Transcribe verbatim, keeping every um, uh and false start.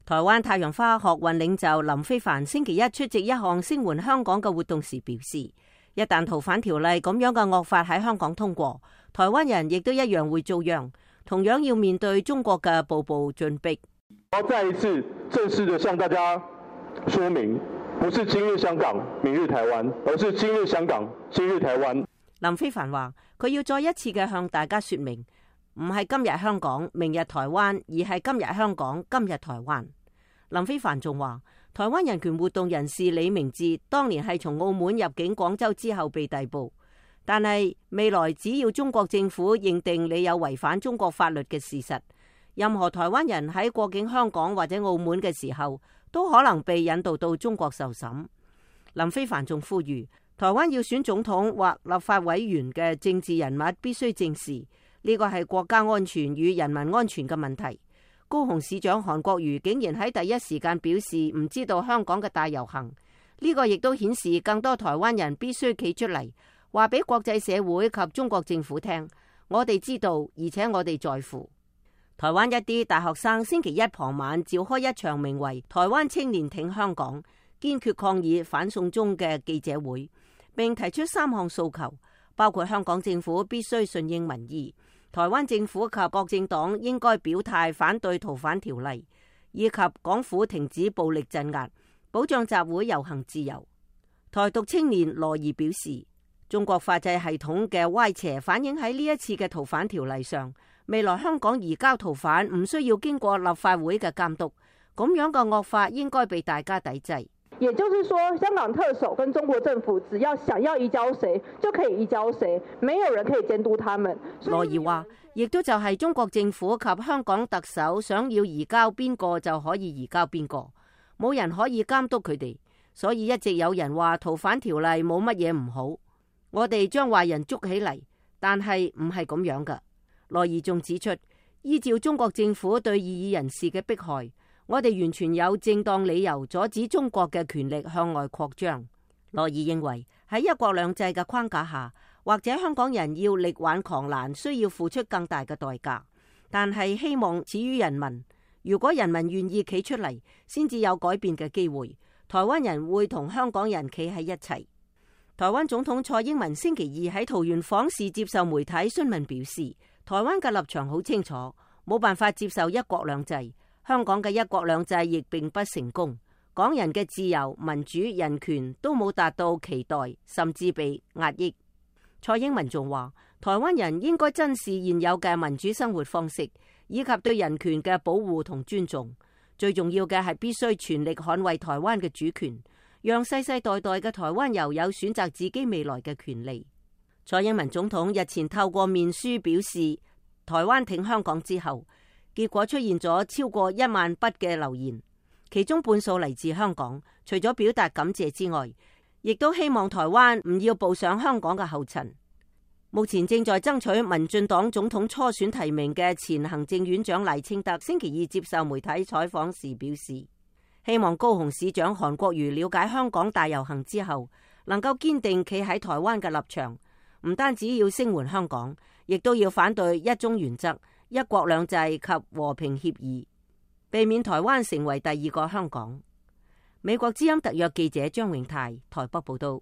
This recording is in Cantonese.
台灣太陽花學運領袖林飛帆星期一出席一項聲援香港嘅活動時表示，一旦逃犯條例咁樣嘅惡法喺香港通過，台灣人亦都一樣會遭殃，同樣要面對中國嘅步步進逼。我再一次正式地向大家說明，不是今日香港，明日台灣，而是今日香港，今日台灣。林飛帆話，佢要再一次嘅向大家說明，唔係今日香港，明日台灣，而係今日香港，今日台灣。林飛帆仲話，台灣人權活動人士李明哲當年係從澳門入境廣州之後被逮捕，但係未來只要中國政府認定你有違反中國法律嘅事實，任何台灣人喺過境香港或者澳門嘅時候，都可能被引渡到中國受審。林飛帆仲呼籲，台灣要選總統或立法委員嘅政治人物必須正視呢個係國家安全與人民安全嘅問題。高雄市長韓國瑜竟然喺第一時間表示唔知道香港嘅大遊行，呢個亦都顯示更多台灣人必須企出嚟，話俾國際社會及中國政府聽，我哋知道，而且我哋在乎。台灣一啲大學生星期一傍晚召開一場名為台灣青年挺香港，堅決抗議反送中嘅記者會，並提出三項訴求，包括香港政府必須順應民意，台灣政府及各政黨應該表態反對逃犯條例，以及港府停止暴力鎮壓，保障集會遊行自由。台獨青年羅儀表示，中國法制系統嘅歪斜反映喺呢一次嘅逃犯條例上，未來香港移交逃犯唔需要經過立法會嘅監督，咁樣嘅惡法應該被大家抵制。也就是說，香港特首跟中國政府只要想要移交誰就可以移交誰，沒有人可以監督他們。羅儀話，亦都就係中國政府及香港特首想要移交邊個就可以移交邊個，冇人可以監督佢哋。所以一直有人話逃犯條例冇乜嘢唔好，我哋將壞人捉起嚟，但係唔係咁樣噶。羅儀仲指出，依照中國政府對異議人士嘅迫害，我哋完全有正當理由阻止中國嘅權力向外擴張。羅儀認為喺一國兩制嘅框架下，或者香港人要力挽狂瀾，需要付出更大嘅代價，但係希望始於人民。如果人民願意企出嚟，先至有改變嘅機會。台灣人會同香港人企喺一齊。台灣總統蔡英文星期二喺桃園訪視接受媒體詢問表示，台灣嘅立場好清楚，冇辦法接受一國兩制。香港嘅一國兩制亦並不成功，港人嘅自由、民主、人權都冇達到期待，甚至被壓抑。蔡英文仲話，台灣人應該珍視現有嘅民主生活方式，以及對人權嘅保護同尊重。最重要嘅係必須全力捍衛台灣嘅主權，讓世世代代嘅台灣遊有選擇自己未來嘅權利。蔡英文總統日前透過面書表示，台灣挺香港之後，結果出現咗超過一萬筆嘅留言，其中半數嚟自香港。除咗表達感謝之外，亦都希望台灣唔要步上香港嘅後塵。目前正在爭取民進黨總統初選提名嘅前行政院長賴清德星期二接受媒體採訪時表示，希望高雄市長韓國瑜了解香港大遊行之後，能夠堅定企喺台灣嘅立場，唔單止要聲援香港，亦都要反對一中原則、一國兩制及和平協議，避免台灣成為第二個香港。美國之音特約記者張永泰台北報道。